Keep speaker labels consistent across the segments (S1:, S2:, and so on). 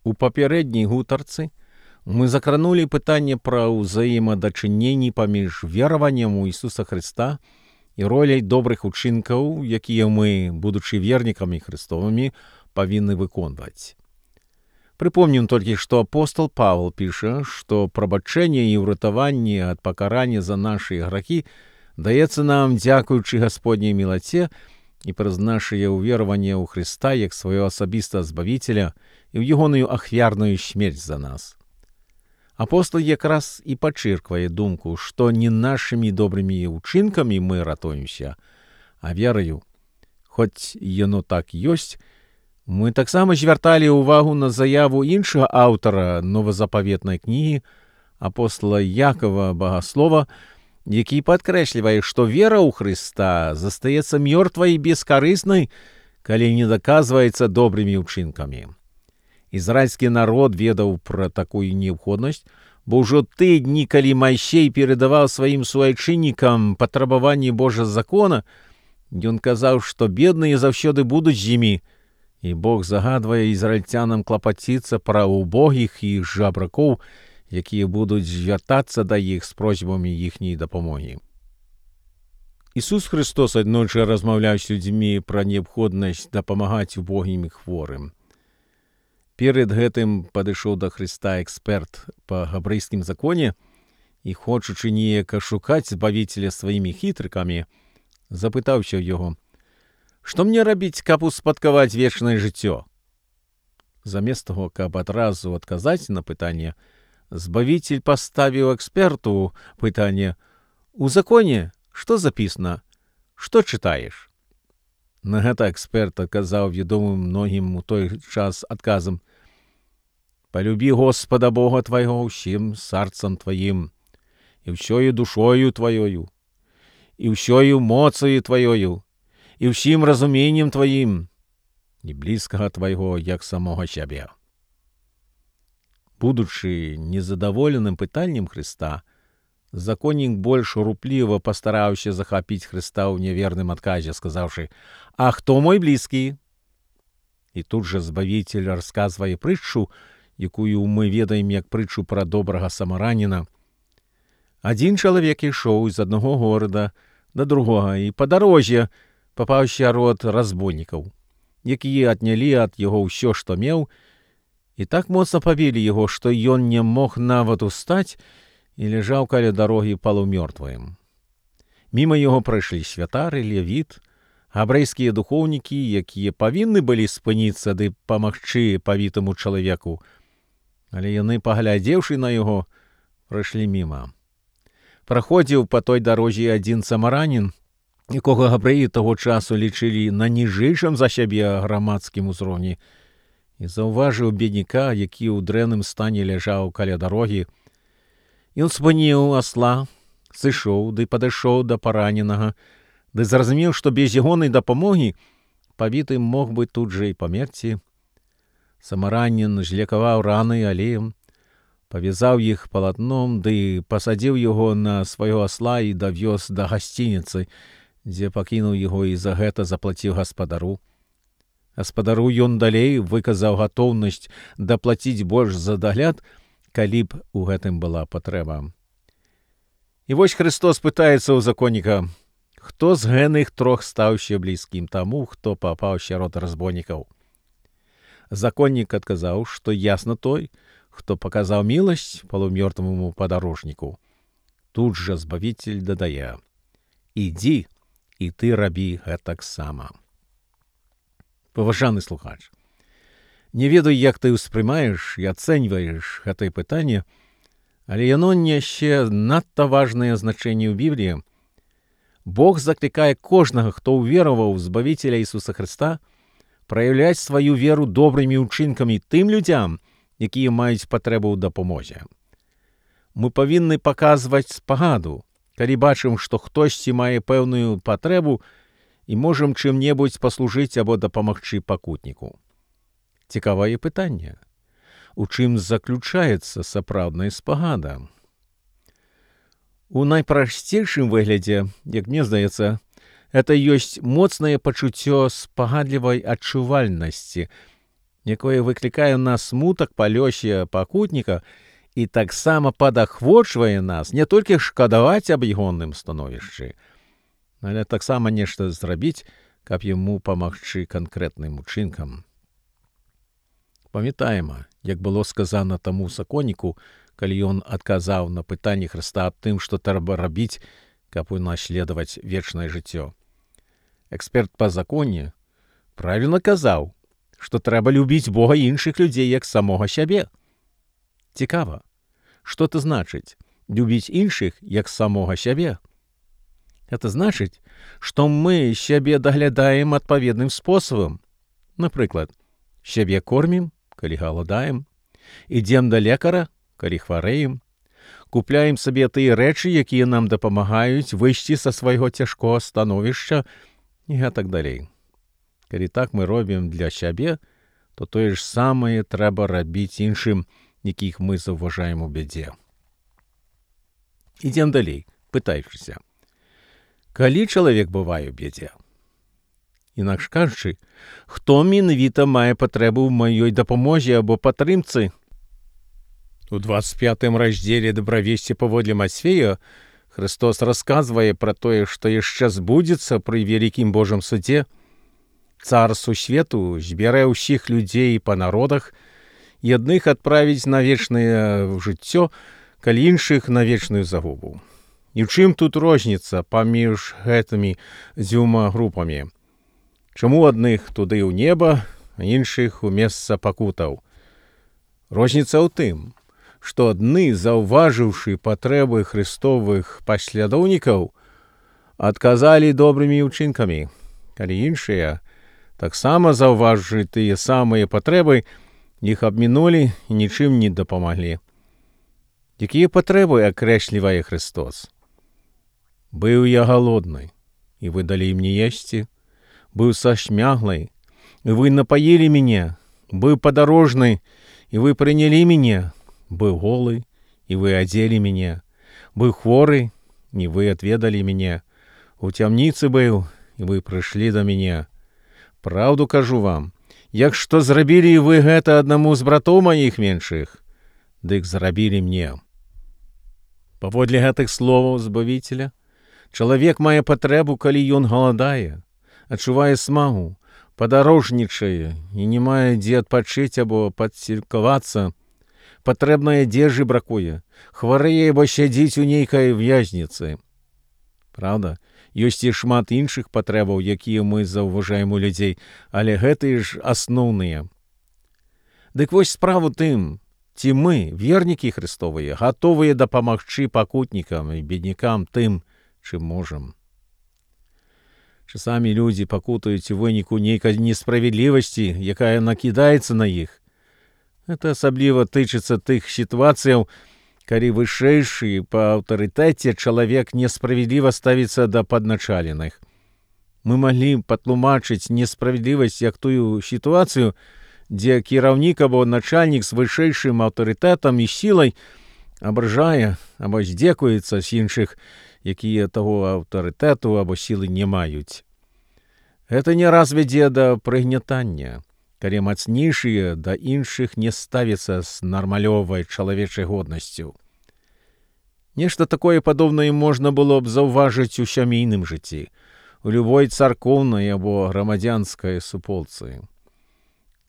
S1: У папярэдняй гутарцы мы закранулі пытанне пра ўзаемадачыненні паміж вераваннем у Ісуса Хрыста і роляй добрых учынкаў, якія мы, будучы вернікамі Хрыстовымі, павінны выконваць. Прыпомнім толькі, што апостол Павел піша, што прабачэнне і ўратаванне ад пакарання за нашы грахі даецца нам дзякуючы Гасподняй мілаце і праз нашае ўвераванне ў Хрыста як свайго асабістага збавіцеля і ў ягоную ахвярную смерць за нас. Апостол якраз і падчырквае думку, што не нашымі добрымі ўчынкамі мы ратуемся, а вераю. Хоць яно так ёсць, мы таксама звярталі ўвагу на заяву іншага аўтара новазапаветнай кнігі, апостола Якова Багаслова, які падкрэслівае, што вера ў Хрыста застаецца мёртвай і бескарыснай, калі не даказваецца добрымі ўчынкамі. Ізраільскі народ ведаў пра такую неабходнасць, бо ўжо тыя дні, калі Майсей перадаваў сваім суайчыннікам патрабаванні Божага закона, ён казаў, што бедныя заўсёды будуць з імі, і Бог загадвае ізраільцянам клапаціцца пра убогіх і жабракоў, якія будуць звяртацца да іх з просьбамі іхняй дапамогі. Ісус Хрыстос аднойчы размаўляў з людзьмі пра неабходнасць дапамагаць убогім і хворым. Перад гэтым падышоў да Хрыста эксперт па габрэйскім законе і, хочучы неяк ашукаць збавіцеля сваімі хітрыкамі, запытаўся ў яго: «Што мне рабіць, каб успадкаваць вечнае жыццё?» Замест таго, каб адразу адказаць на пытанне, збавіцель паставіў эксперту пытанне: «У законе што запісана? Што чытаеш?» На гэта эксперт адказаў вядомым многім у той час адказам: «Палюбі Господа Бога твайго ўсім сарцам тваім, і ўсёю душою тваёю, і ўсёю моцаю тваёю, і ўсім разуменнем тваім, і блізкага твайго, як самога сябе». Будучы незадаволеным пытаннем Хрыста, законнік больш рупліва пастараўся захапіць Хрыста ў няверным адказе, сказаўшы: «А хто мой блізкі?» І тут жа збавіцель расказвае прытчу, якую мы ведаем як прытчу пра добрага самараніна. Адзін чалавек ішоў з аднаго горада да другога, і па дарозе папаўся род разбойнікаў, якія аднялі ад яго ўсё, што меў, і так моцна пабілі яго, што ён не мог нават устаць і ляжаў каля дарогі палумёртвым. Міма яго прайшлі святар і левіт, габрэйскія духоўнікі, якія павінны былі спыніцца ды памагчы павітаму чалавеку, але яны, паглядзеўшы на яго, прайшлі міма. Праходзіў па той дарозе адзін самаранін, якога габрэі таго часу лічылі на ніжэйшым за сябе грамадскім узроўні, і заўважыў бедняка, які ў дрэнным стане ляжаў каля дарогі. Ён спыніў асла, сышоў ды падышоў да параненага, ды зразумеў, што без ягонай дапамогі павіты мог бы тут жа і памерці. Самаранін злекаваў раны алеем, павязаў іх палатном ды пасадзіў яго на свайго асла і давёз да гасцініцы, дзе пакінуў яго і за гэта заплаціў гаспадару. Гаспадару ён далей выказаў гатоўнасць даплаціць больш за дагляд, калі б у гэтым была патрэба. І вось Хрыстос пытаецца ў законніка: «Хто з гэных трох стаўся блізкім таму, хто папаў сярод разбойнікаў?» Законнік адказаў, што ясна той, хто паказаў міласць палумёртваму падарожніку. Тут жа збавіцель дадае: «Ідзі, і ты рабі гэтаксама». Паважаны слухач, не ведаю, як ты ўспрымаеш і ацэньваеш гэтае пытанне, але яно нясе надта важнае значэнне ў Бібліі. Бог заклікае кожнага, хто ўвераваў у збавіцеля Ісуса Хрыста, праяўляць сваю веру добрымі ўчынкамі тым людзям, якія маюць патрэбу ў дапамозе. Мы павінны паказваць спагаду, калі бачым, што хтосьці мае пэўную патрэбу і можам чым-небудзь паслужыць або дапамагчы пакутніку. Цікавае пытанне: у чым заключаецца сапраўдная спагада? У найпрасцейшым выглядзе, як мне здаецца, гэта ёсць моцнае пачуццё спагадлівай адчувальнасці, якое выклікае ў нас смутак па лёсе пакутніка і таксама падахвочвае нас не толькі шкадаваць аб ягоным становішчы, але таксама нешта зрабіць, каб яму памагчы канкрэтным учынкам. Памятаем, як было сказана таму законніку, калі ён адказаў на пытанне Хрыста аб тым, што трэба рабіць, каб унаследаваць вечнае жыццё. Эксперт па законе правільна казаў, што трэба любіць Бога і іншых людзей як самога сябе. Цікава, што это значыць любіць іншых як самога сябе? Это значыць, што мы сябе даглядаем адпаведным спосабам. Напрыклад, сябе кормім, калі галадаем, ідзем да лекара, калі хварэем, купляем сабе тыя рэчы, якія нам дапамагаюць выйсці са свайго цяжкога становішча і гэтак далей. Калі так мы робім для сябе, то тое ж самае трэба рабіць іншым, якіх мы заўважаем у бядзе. Ідзем далей, пытаючыся. Калі чалавек бывае ў бядзе? Інакш кажучы, хто менавіта мае патрэбу ў маёй дапамозе або падтрымцы? У 25 раздзеле «Добравесці паводле Мацфея» Христос расказвае пра тое, што яшчэ збудзецца пры вялікім Божым судзе. Цар сусвету збярэ ўсіх людзей па народах і адных адправіць на вечнае жыццё, калі іншых на вечную загубу. І ў чым тут розніца паміж гэтымі дзвюма групамі? Чаму адных туды ў неба, а іншых у месца пакутаў? Розніца ў тым, што адны, заўважыўшы патрэбы хрыстовых паслядоўнікаў, адказалі добрымі ўчынкамі, калі іншыя, таксама заўважыўшы тыя самыя патрэбы, іх абмінулі і нічым не дапамаглі. Якія патрэбы акрэслівае Христос? «Быў я галодны, і вы далі мне есці, быў сашмяглай, і вы напаілі мяне, быў падарожны, і вы прынялі мяне, быў голы, і вы адзелі мяне, быў хворы, і вы адведалі мяне, у цямніцы быў, і вы прыйшлі да мяне. Праўду кажу вам, як што зрабілі вы гэта аднаму з братоў маіх меншых, дык зрабілі мне». Паводле гэтых словаў Збавіцеля, чалавек мае патрэбу, калі ён галадае, адчувае смагу, падарожнічае і не мае дзе адпачыць або падсілкавацца, патрэбнай адзежы бракуе, хварэе або сядзіць у нейкай в'язніцы. Праўда, ёсць і шмат іншых патрэбаў, якія мы заўважаем у людзей, але гэтыя ж асноўныя. Дык вось справа тым, ці мы, вернікі Христовыя, гатовыя дапамагчы пакутнікам і беднякам тым, чым можам. Часамі людзі пакутаюць у выніку нейкай несправядлівасці, якая накідаецца на іх. Гэта асабліва тычыцца тых сітуацыяў, калі вышэйшы па аўтарытэце чалавек несправядліва ставіцца да падначаленых. Мы маглі патлумачыць несправядлівасць як тую сітуацыю, дзе кіраўнік або начальнік з вышэйшым аўтарытэтам і сілай абражае або здзекуецца з іншых, якія таго аўтарытэту або сілы не маюць. Гэта не раз вядзе да прыгнятання, калі мацнейшыя да іншых не ставяцца з нармалёвай чалавечай годнасцю. Нешта такое падобнае можна было б заўважыць у сямейным жыцці, у любой царкоўнай або грамадзянскай суполцы,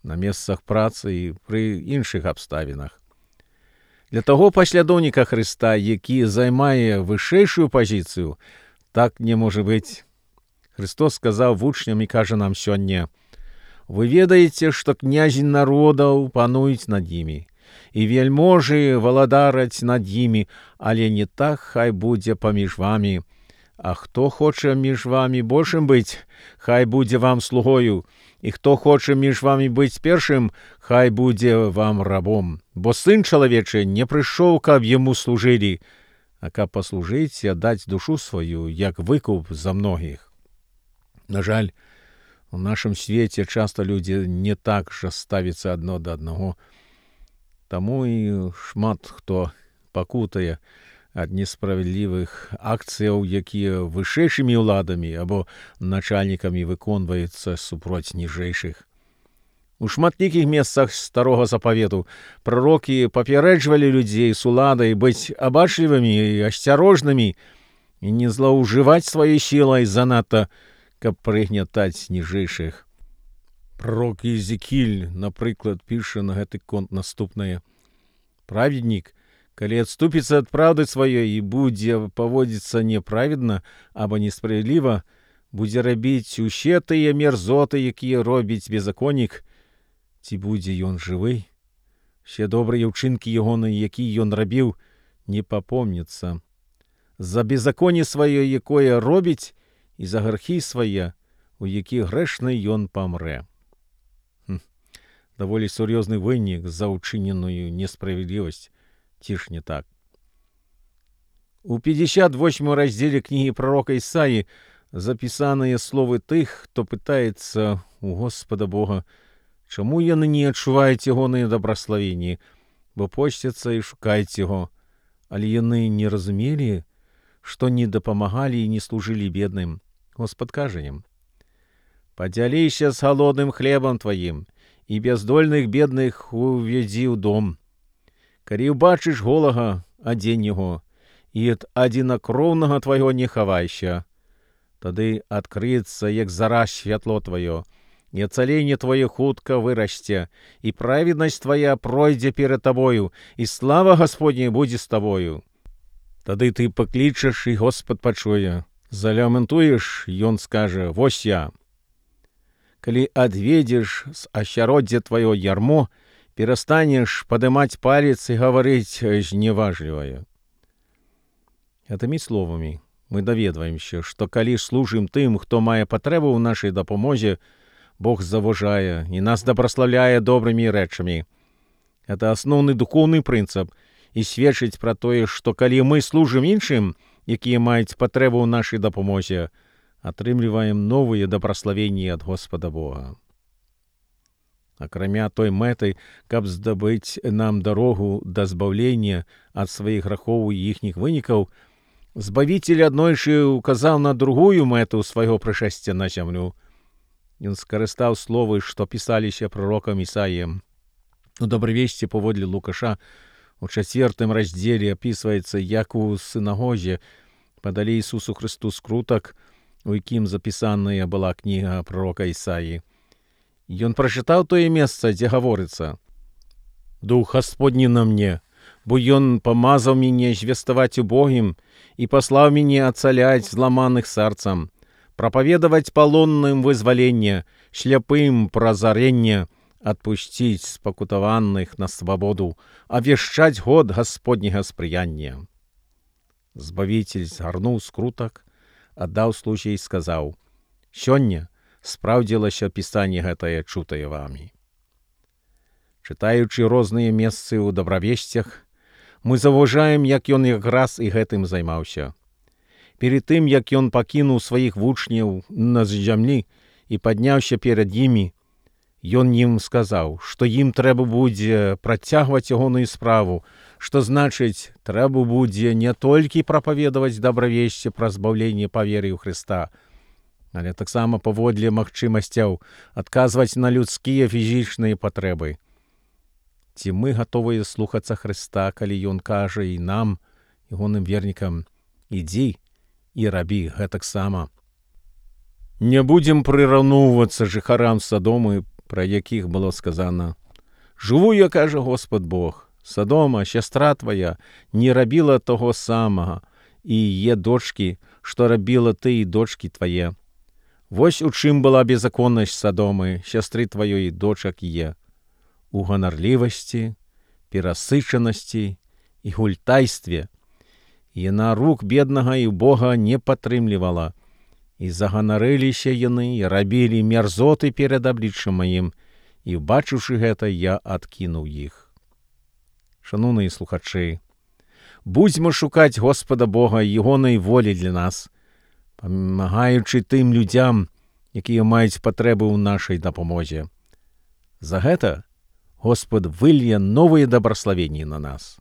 S1: на месцах працы і пры іншых абставінах. Для таго паслядоўніка Хрыста, які займае вышэйшую пазіцыю, так не можа быць. Христос сказаў вучням і кажа нам сёння: «Вы ведаеце, што князі народаў пануюць над імі, і вельможы валадараць над імі, але не так хай будзе паміж вамі. А хто хоча між вамі большым быць, хай будзе вам слугою, і хто хоча між вамі быць першым, хай будзе вам рабом. Бо сын чалавечы не прыйшоў, каб яму служылі, а каб паслужыць і аддаць душу сваю, як выкуп за многіх». На жаль, у нашым свеце часта людзі не так жа ставяцца адно да аднаго. Таму і шмат хто пакутае ад несправядлівых акцыяў, якія вышэйшымі ўладамі або начальнікамі выконваюцца супроць ніжэйшых. У шматлікіх месцах старога запавету прарокі папярэджвалі людзей з уладай быць абачлівымі і асцярожнымі і не злоўжываць сваёй сілай занадта, каб прыгнятаць ніжэйшых. Пророк Езекіль, напрыклад, піша на гэты конт наступнае. Праведнік, калі адступіцца ад праўды сваёй і будзе паводзіцца неправедна або несправядліва, будзе рабіць усе тыя мерзоты, якія робіць беззаконнік, ці будзе ён жывы? Усе добрыя ўчынкі ягоныя, якія ён рабіў, не папомняцца. За беззаконне сваё, якое робіць, і за грахі свае, у якіх грэшны ён памрэ. Даволі сур'ёзны вынік за ўчыненую несправядлівасць, ці ж не так? У 58 раздзеле кнігі прарока Ісаі запісаныя словы тых, хто пытаецца у Господа Бога, чаму яны не адчуваюць ягоныя дабраславенні, бо посцяцца і шукаюць яго, але яны не разумелі, што не дапамагалі і не служылі бедным. Господ кажа ім: «Падзяліся з галодным хлебам тваім, і бяздольных бедных увядзі ў дом. Калі ўбачыш голага, адзень яго, і ад адзінакроўнага твайго не хавайся. Тады адкрыецца, як зара, святло тваё, і ацаленне тваё хутка вырасце, і праведнасць твая пройдзе перад табою, і слава Гасподняя будзе з табою. Тады ты паклічаш, і Господ пачуе. Заляментуеш, ён скажа: вось я. Калі адведзеш з асяроддзя тваё ярмо, перастанеш падымаць палец і гаварыць зневажлівае». Гэтымі словамі мы даведваемся, што калі служым тым, хто мае патрэбу ў нашай дапамозе, Бог заважае і нас дабраслаўляе добрымі рэчамі. Гэта асноўны духоўны прынцып і сведчыць пра тое, што калі мы служым іншым, якія маюць патрэбу ў нашай дапамозе, атрымліваем новыя дабраславенні ад Господа Бога. Акрамя той мэты, каб здабыць нам дарогу да збаўлення ад сваіх грахоў і іхніх вынікаў, Збавіцель аднойчы указаў на другую мэту свайго прышэсця на зямлю. Ён скарыстаў словы, што пісаліся пророкам Ісаіем. У добравесці паводле Лукаша у 4 раздзеле апісваецца, як у сінагозе падалі Ісусу Христу скрутак, у якім запісаная была кніга пророка Ісаі. Ён прачытаў тое месца, дзе гаворыцца: «Дух Гасподні на мне, бо ён памазаў мяне звеставаць убогім і паслаў мяне ацаляць зламаных сэрцам, прапаведаваць палонным вызваленне, шляпым празаренне, адпусціць спакутаваных на свабоду, авешчаць год Гасподняга спрыяння». Збавіцель згарнуў скрутак, аддаў слузе і сказаў: «Сёння спраўдзілася пісанне гэтае, чутае вамі». Чытаючы розныя месцы ў добравесцях, мы заўважаем, як ён якраз і гэтым займаўся. Перед тым, як ён пакінуў сваіх вучняў на зямлі і падняўся перад імі, ён ім сказаў, што ім трэба будзе працягваць ягоную справу, што значыць, трэба будзе не толькі прапаведаваць добравесце пра збаўленне па веры ў Хрыста, але таксама паводле магчымасцяў адказваць на людскія фізічныя патрэбы. Ці мы гатовыя слухацца Хрыста, калі ён кажа і нам, ягоным вернікам: «Ідзі і рабі гэтаксама». Не будзем прыраўноўвацца жыхарам Садомы, пра якіх было сказана: «Жыву я, кажа Господ Бог, Садома, сястра твая, не рабіла того самага, і є дочкі, што рабіла ты і дочкі твае. Вось у чым была беззаконнасць Садомы, сястры тваёй дочак є. У ганарлівасці, перасычанасці і гультайстве. Яна рук беднага і Бога не падтрымлівала, і заганарыліся яны, і рабілі мерзоты перад абліччам маім, і, бачыўшы гэта, я адкінуў іх». Шаноўныя слухачы, будзьмо шукаць Господа Бога і ягонай волі для нас, памагаючы тым людзям, якія маюць патрэбы ў нашай дапамозе. За гэта Господ вылье новыя дабраславенні на нас.